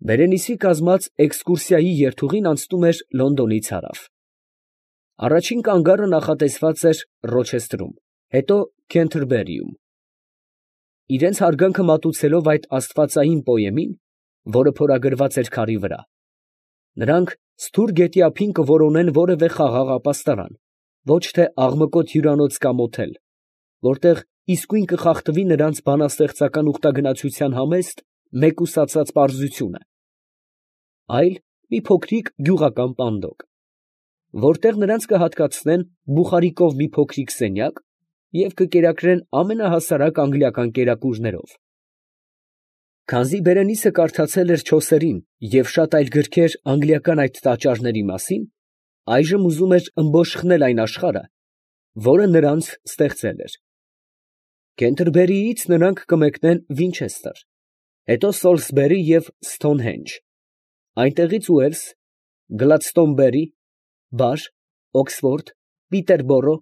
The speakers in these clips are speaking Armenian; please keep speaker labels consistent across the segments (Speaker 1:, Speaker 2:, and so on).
Speaker 1: Բերենիսի կազմած էքսկուրսիայի երթուղին անցնում էր Լոնդոնից հարավ. առաջին կանգառը նախատեսված էր Ռոչեսթրում, հետո Քենթերբերիում։ Իրենց հարգանքը մատուցելով այդ աստվածային պոեմին, որը փորագրված էր քարի վրա, նրանք Սթուր գետի ափին կորոնեն որևէ խաղաղ ապաստարան, ոչ թե աղմկոտ հյուրանոց կամ օթել, որտեղ իսկույն կխախտվի նրանց բանաստեղծական ուխտագնացության համեստ, մեկուսացած պարզությունը, այլ մի փոքրիկ գյուղական պանդոկ, որտեղ նրանց կհատկացնեն Բուխարիկով մի փոքրիկ սենյակ և կկերակրեն ամենահասարակ անգլիական կերակուրներով։ Քանզի Բերենիսը կարդացել էր Չոսերին և շատ այլ գրքեր անգլիական այդ տաճարների մասին, այժմ ուզում էր ըմբոշխնել այն աշխարհը, որը նրանց ստեղծել էր։ Քենթերբերիից նրանք կմեկնեն Վինչեսթեր, հետո Սոլսբերի և Սթոնհենջ, այնտեղից Ուելս, Գլադստոնբերի, Բար, Օքսֆորդ, Պիտերբորո,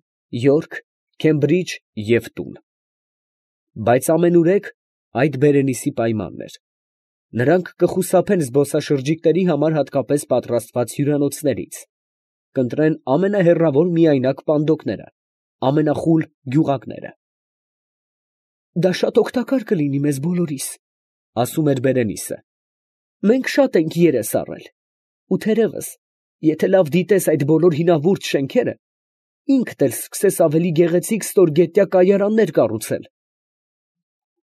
Speaker 1: Յորք, Քեմբրիջ և տուն։ Բայց ամենուրեք այդ Բերենիսի պայմանն էր. նրանք կխուսափեն զբոսաշրջիկների համար հատկապես պատրաստված հյուրանոցներից, կընտրեն ամենահեռավոր միայնակ պանդոկները, ամենախուլ գյուղակները։ «Դա շատ օգտակար կլինի մեզ բոլորիս», ֊ ասում էր Բերենիսը. «մենք շատ ենք երես առել, ու թերևս, եթե լավ դիտես այդ բոլոր հինավուրց շենքերը, ինքդ էլ սկսես ավելի գեղեցիկ ստորգետնյա կայարաններ կառուցել»։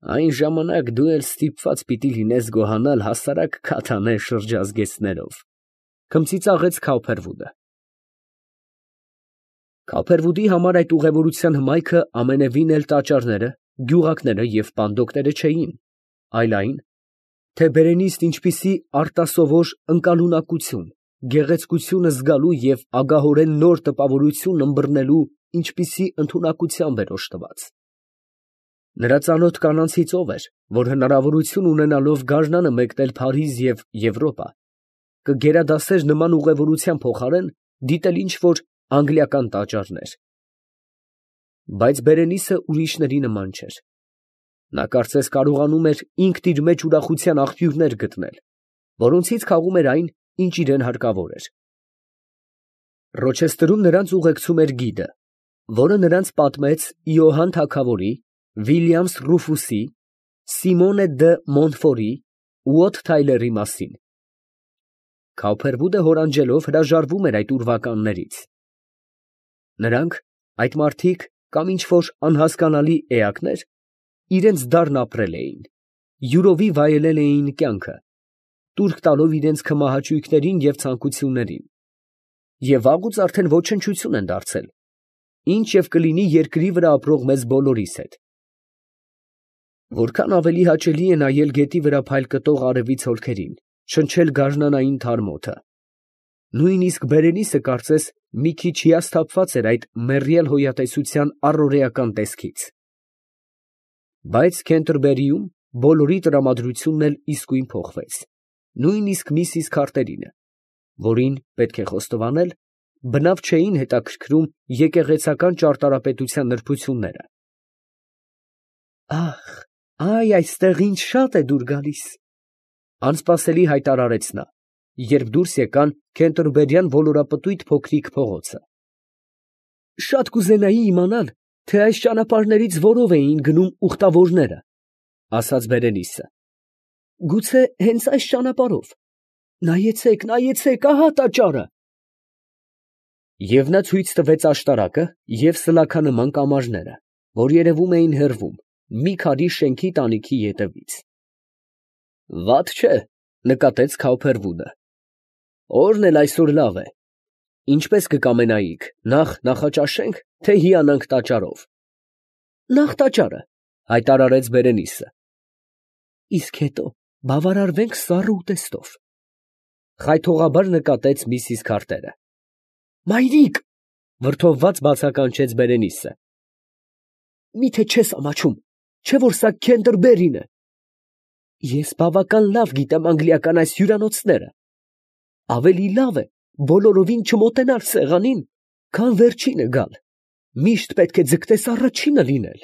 Speaker 1: «Այն ժամանակ դու էլ ստիպված պիտի լինես գոհանալ հասարակ քաթանե շրջազգեստներով», ֊ քմծիծաղեց Քաուփերվուդը։ Քաուփերվուդի համար այդ ուղևորության հմայքը ամենևին էլ տաճարները, գյուղակները և պանդոկները չէին, այլ այն, թե Բերենիսն ինչպիսի արտասովոր ընկալունակություն, գեղեցկությունը զգալու և ագահորեն նոր տպավորություն ըմբռնելու ինչպիսի ընդունակությամբ էր օժտված։ Նրա ծանոթ կանանցի ծով էր, որ հնարավորություն ունենալով գարնանը մեկնել Փարիզ և Եվրոպա, կգերադասեր նման ուղևորության փոխարեն դիտել ինչ֊որ անգլիական տաճարներ։ Բայց Բերենիսը ուրիշների նման չէր. նա կարծես կարողանում էր ինքն իր մեջ ուրախության աղբյուրներ գտնել, որոնցից քաղում էր այն, ինչ իրան հարկավոր էր։ Ռոչեսթրում նրանց ուղեկցում էր գիդը, որը նրանց պատմեց Իոհան թագավորի, Վիլյամս Ռուֆուսի, Սիմոնե դը Մոնտֆորի ու Ոթ Թայլերի մասին։ Քաուփերվուդը հորանջելով հրաժարվում էր այդ ուրվականներից։ Նրանք, այդ մարդիկ կամ ինչ֊որ անհասկանալի էակներ, իրենց դառն ապրել էին, յուրովի վայելել էին կյանքը, տուրք տալով իրենց քմահաճույքներին և ցանկություններին, և վաղուց արդեն ոչնչություն են դարձել, ինչ և կլինի երկրի վրա ապրող մեզ բոլորիս հետ։ Որքան ավելի հաճելի է նայել գետի վրա փայլ կտող արևի ցոլքերին, շնչել գարնանային թարմ օդը։ Նույնիսկ Բերենիսը կարծես մի քիչ հիասթափված էր այդ մեռյալ հոյատեսության առօրեական տեսքից։ Բայց Քենթերբերիում բոլորի տրամադրությունն էլ իսկույն փոխվեց, նույնիսկ միսիս Քարտերինը, որին, պետք է խոստովանել, բնավ չէին հետաքրքրում եկեղեցական ճարտարապետության նրբությունները։ «Ա՜խ, այստեղ ինչ շատ է դուր գալիս», ֊ անսպասելի հայտարարեց նա, երբ դուրս եկան Քենթերբերյան ոլորապտույտ փոքրիկ փողոցը։ «Շատ կուզենայի իմանալ, թե այս ճանապարհներից որով էին գնում ուխտավորները», ֊ ասաց Բերենիսը։ «Գուցե հենց այս ճանապարհով։ Նայեցե՛ք, նայեցե՛ք, ահա տաճարը»։ Եվ նա ցույց տվեց աշտարակը և սլաքանման կամարները, որ երևում էին հեռվում, մի քարի շենքի տանիքի ետևից։ «Վատ չէ», ֊ նկատեց Քաուփերվուդը։ «Օրն էլ այսօր լավ է։ Ինչպես կկամենայիք, նախ նախաճաշե՞նք, թե հիանանք տաճարով»։ «Նախ տաճարը», ֊ հայտարարեց Բերենիսը։ «Իսկ հետո բավարարվենք սառը ուտեստով», ֊ խայթողաբար նկատեց միսիս Քարտերը։ «Մայրիկ», ֊ վրդովված բացականչեց Բերենիսը, «մի՞թե չես ամաչում, չէ՞ որ սա Քենթերբերին է։ Ես բավական լավ գիտեմ անգլիական այս հյուրանոցները. ավելի լավ է բոլորովին չմոտենալ սեղանին, քան վերջինը գալ, միշտ պետք է ձգտես առաջինը լինել»։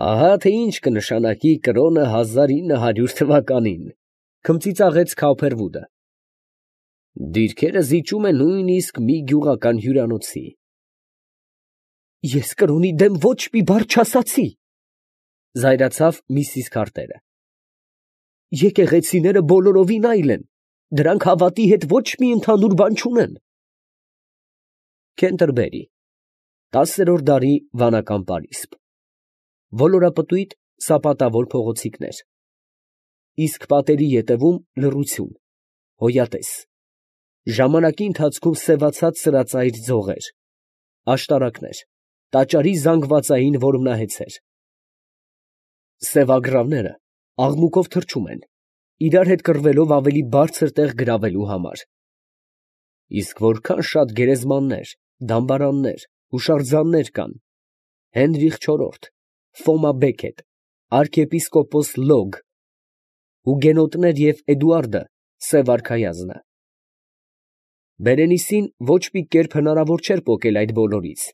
Speaker 1: «Ահա թե ինչ կնշանակի կրոնը 1900 թվականին, Քմծիծաղեց Քավփերվուդը։ Դիրքերը զիջում է նույնիսկ մի գյուղական հյուրանոցի։ Ես կրոնի դեմ ոչ մի բառ չասացի, զայրացավ Միսիս Քարտերը։ Եկեղեցիները բոլորովին այլ են, դրանք հավատի հետ ոչ մի ընդհանուր բան չունեն։ Քենտերբերի, 10-րդ դարի վանական պարիսպ, ոլորապտույտ սապատավոր փողոցիկներ, իսկ պատերի ետևում լռություն, հոյատես, ժամանակի ընթացքում սևացած սրածայր ձողեր, աշտարակներ, տաճարի զանգվածային որմնահեցեր։ Սևագրավները աղմուկով թռչում են, իրար հետ կռվելով ավելի բարձր տեղ գրավելու համար։ Իսկ որքան շատ գերեզմաններ, դամբարաններ, հուշարձաններ կան, Հենրիխ IV, Ֆոմա Բեկետ, arczepiskopos Լոգ, հուգենոտներ և Էդուարդը սև արքայազնը։ Բերենիսին ոչ մի կերպ հնարավոր չէր պոկել այդ բոլորից։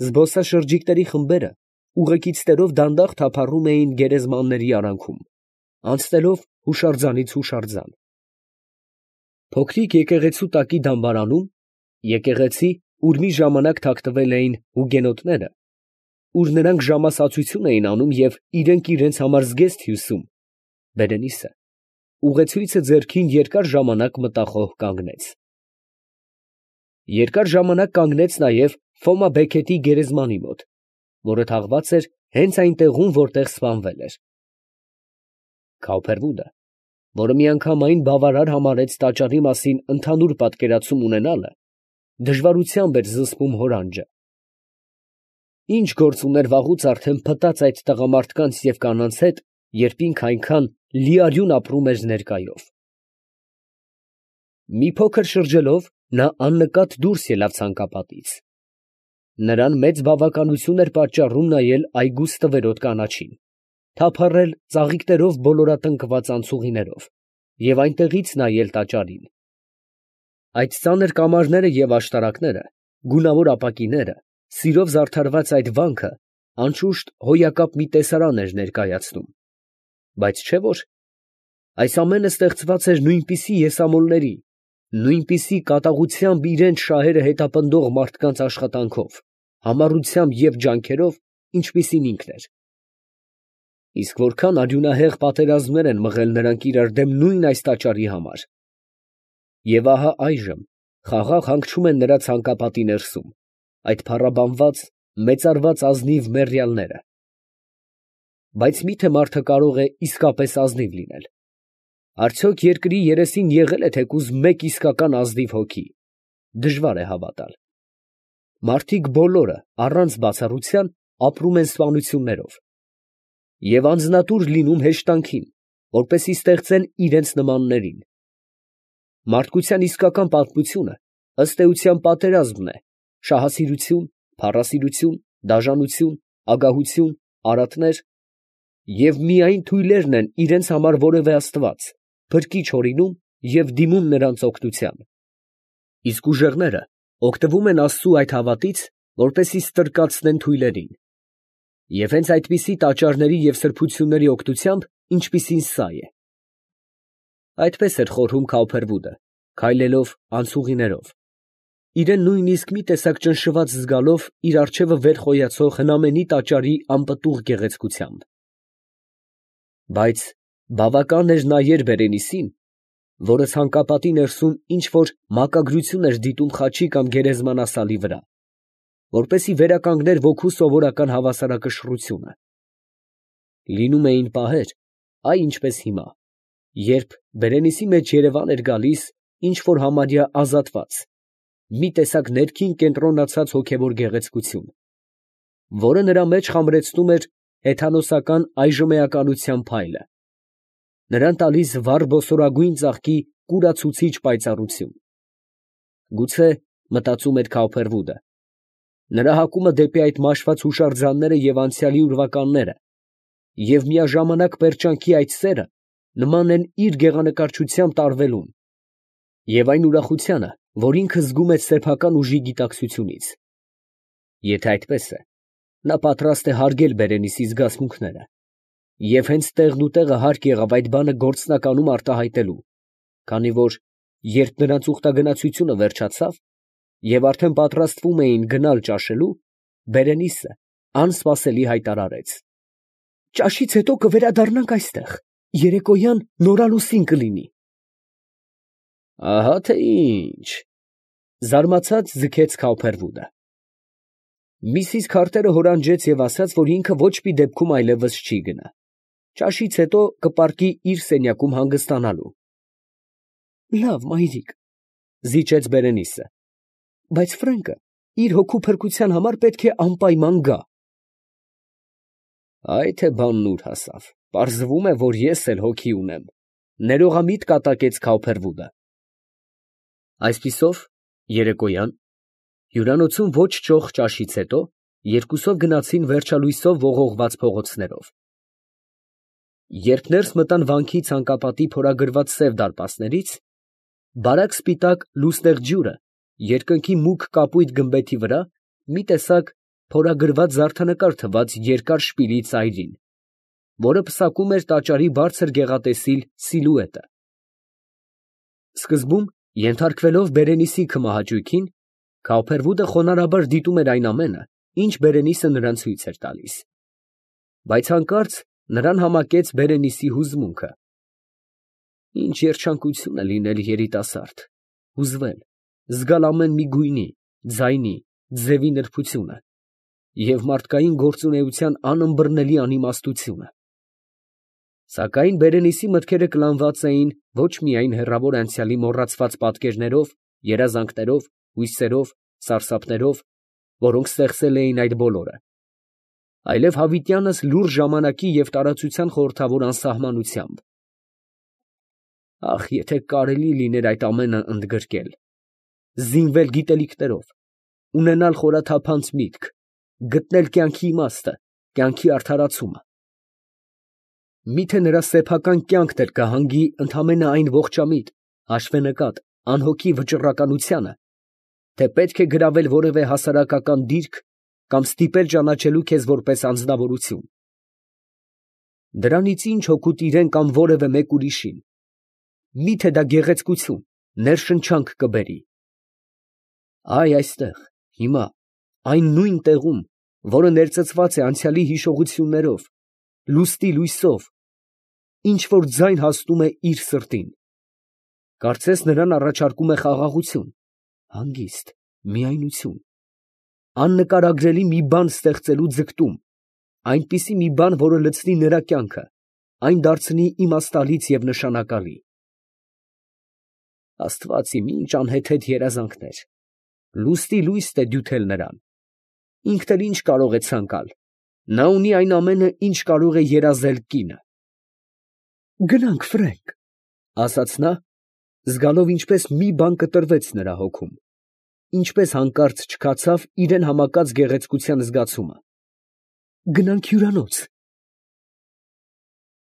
Speaker 1: Զբոսաշրջիկների խմբերը ուղեկիցներով դանդաղ թափառում էին գերեզմանների արանքում, անցնելով հուշարձանից հուշարձան։ Փոքրիկ եկեղեցու տակի դամբարանում, եկեղեցի, ուր մի ժամանակ թաքնվել էին հուգենոտները, ուր նրանք ժամասացություն էին անում և իրենք համար զգեստ հյուսում, Բերենիսը ուղեցույցը ձեռքին երկար ժամանակ մտախոհ կանգնեց։ Երկար ժամանակ կանգնեց նաև Ֆոմա Բեկետի գերեզմանի մոտ, որը թաղված էր հենց այն տեղում, որտեղ սպանվել էր։ Քավփերվուդը, որը միանգամայն բավարար համարեց տաճարի մասին ընդհանուր պատկերացում ունենալը, դժվարությամբ էր զսպում հորանջը։ Ինչ գործ ուներ վաղուց արդեն փտած այդ տղամարդկանց և կանանց հետ, երբ ինքը այնքան լիարյուն ապրում էր ներկայով։ Մի փոքր շրջելով, նա աննկատ դուրս ելավ ցանկապատից։ Նրան մեծ բավականություն էր պատճառում նայել այգու ստվերոտ կանաչին, թափառել ծաղիկներով բոլորատնկված անցուղիներով և այնտեղից նայել տաճարին։ Այդ ծանր կամարները և աշտարակները, գունավոր ապակիները, սիրով զարդարված այդ վանքը, անշուշտ հոյակապ մի տեսարան էր ներկայացնում, բայց չէ՞ որ այս ամենը ստեղծված էր նույնպիսի եսամոլների, նույնպիսի կատաղությամբ իրենց շահերը հետապնդող մարդկանց աշխատանքով, համառությամբ և ջանքերով, ինչպիսին ինքն էր։ Իսկ որքան արյունահեղ պատերազմներ են մղել նրանք իրար դեմ նույն այս տաճարի համար։ Եվ ահա այժմ խաղաղ հանգչում են նրա ցանկապատի ներսում, այդ փառաբանված, մեծարված ազնիվ մեռյալները։ Բայց մի՞թե մարդը կարող է իսկապես ազնիվ լինել։ Արդյոք երկրի երեսին եղել է թեկուզ մեկ իսկական ազնիվ հոգի։ Դժվար է հավատալ։ Մարդիկ բոլորը, առանց բացառության, ապրում են սպանություններով և անձնատուր լինում հեշտանքին, որպեսզի ստեղծեն իրենց նմաններին։ Մարդկության իսկական պատմությունը ըստ էության պատերազմն է, շահասիրություն, փառասիրություն, դաժանություն, ագահություն, արատներ, և միայն թույլերն են իրենց համար որևէ աստված, փրկիչ հորինում և դիմում նրանց օգնության։ Իսկ ուժեղները օգտվում են Աստծու այդ հավատից, որպեսզի ստրկացնեն թույլերին։ Եվ հենց այդպիսի տաճարների և սրբությունների օգնությամբ, ինչպիսին սա է։ Այդպես էր խորհում Քավփերվուդը, քայլելով անցուղիներով, իրեն նույնիսկ մի տեսակ ճնշված զգալով իր առջևը վեր խոյացող հնամենի տաճարի անպտուղ գեղեցկությամբ։ Բայց բավական էր նայել Բերենիսին, որը ցանկապատի ներսում ինչ֊որ մակագրություն էր դիտում խաչի կամ գերեզմանասալի վրա, որպեսզի վերականգներ ոգու սովորական հավասարակշռությունը։ Լինում էին պահեր, այ ինչպես հիմա, երբ Բերենիսի մեջ երևան էր գալիս ինչ֊որ համարյա ազատված, մի տեսակ ներքին կենտրոնացած հոգևոր գեղեցկություն, որը նրա մեջ խամրեցնում էր հեթանոսական այժմեականության փայլը, նրան տալիս վառ բոսորագույն ծաղկի կուրացուցիչ պայծառություն։ Գուցե, մտածում էր Քավփերվուդը, նրա հակումը դեպի այդ մաշված հուշարձանները և անցյալի ուրվականները և միաժամանակ պերճանքի այդ սերը նման են իր գեղանկարչությամբ տարվելուն և այն ուրախությանը, որ ինքը զգում է սեփական ուժի գիտակցությունից։ Եթե այդպես է, նա պատրաստ է հարգել Բերենիսի զգացմունքները, Եվ հենց տեղն ու տեղը հարկ եղավ այդ բանը գործնականում արտահայտելու, քանի որ երբ նրանց ուխտագնացությունը վերջացավ և արդեն պատրաստվում էին գնալ ճաշելու, Բերենիսը անսպասելի հայտարարեց. «Ճաշից հետո կվերադառնանք այստեղ, երեկոյան նորալուսին կլինի»։ Ահա թե ինչ, զարմացած ձգեց Քաուփերվուդը։ Միսիս Քարթերը հորանջեց և ասաց, որ ինքը ոչ մի դեպքում այլևս չի գնա, ճաշից հետո կպառկի իր սենյակում հանգստանալու։ Լավ, մայրիկ, զիջեց Բերենիսը, բայց Ֆրենկը իր հոգու փրկության համար պետք է անպայման գա։ Այ թե բանն ուր հասավ, պարզվում է, որ ես էլ հոգի ունեմ, ներողամիտ կատակեց Քաուփերվուդը։ Այսպիսով, երեկոյան, հյուրանոցում ոչ ճոխ ճաշից հետո, երկուսով գնացին վերջալույսով ողողված փողոցներով։ Երբ ներս մտան վանքի ցանկապատի փորագրված սև դարպասներից, բարակ սպիտակ լուսնեղ ջուրը երկնքի մուգ կապույտ գմբեթի վրա մի տեսակ փորագրված զարդանկար թված երկար շպիլի ծայրին, որը պսակում էր տաճարի բարձր գեղատեսիլ սիլուետը։ Սկզբում, ենթարկվելով Բերենիսի քմահաճույքին, Քաուփերվուդը խոնարհաբար դիտում էր այն ամենը, ինչ Բերենիսը նրան ցույց էր տալիս, բայց հանկարծ նրան համակեց Բերենիսի հուզմունքը։ Ինչ երջանկություն է լինել երիտասարդ, հուզվել, զգալ ամեն մի գույնի, ձայնի, ձևի նրբությունը և մարդկային գործունեության անըմբռնելի անիմաստությունը։ Սակայն Բերենիսի մտքերը կլանված էին ոչ միայն հեռավոր անցյալի մոռացված պատկերներով, երազանքներով, հույսերով, սարսափներով, որոնք ստեղծել էին այդ բոլորը, այլև հավիտյանս լուռ ժամանակի և տարածության խորհրդավոր անսահմանությամբ։ Ախ, եթե կարելի լիներ այդ ամենը ընդգրկել, զինվել գիտելիքներով, ունենալ խորաթափանց միտք, գտնել կյանքի իմաստը, կյանքի արդարացումը։ Միթե նրա սեփական կյանքն էր կհանգի ընդամենը այն ողջամիտ, հաշվենկատ, անհոգի վճռականությանը, թե պետք է գրավել որևէ հասարակական դիրք կամ ստիպել ճանաչելու քեզ որպես անձնավորություն։ Դրանից ինչ օգուտ իրան կամ որևէ մեկ ուրիշին։ Միթե դա գեղեցկություն, ներշնչանք կբերի։ Այ այստեղ, հիմա, այն նույն տեղում, որը ներծծված է անցյալի հիշողություններով, լուստի լույսով, ինչ որ ձայն հասնում է իր սրտին, կարծես նրան առաջարկում է խաղաղություն, հանգիստ, միայնություն, աննկարագրելի մի բան ստեղծելու ձգտում, այնպիսի մի բան, որը լցնի նրա կյանքը, այն դարձնի իմաստալից և նշանակալի։ Աստված իմ, ինչ անհեթեթ երազանքներ, լուստի լույսն է դյութել նրան, ինքն էլ ինչ կարող է ցանկալ, նա ունի այն ամենը, ինչ կարող է երազել կինը։ Գնանք, Ֆրենկ, ասաց նա, զգալով ինչպես մի բան կտրվեց նրա հոգում, ինչպես հանկարծ չքացավ իրան համակած գեղեցկության զգացումը։ Գնանք հյուրանոց։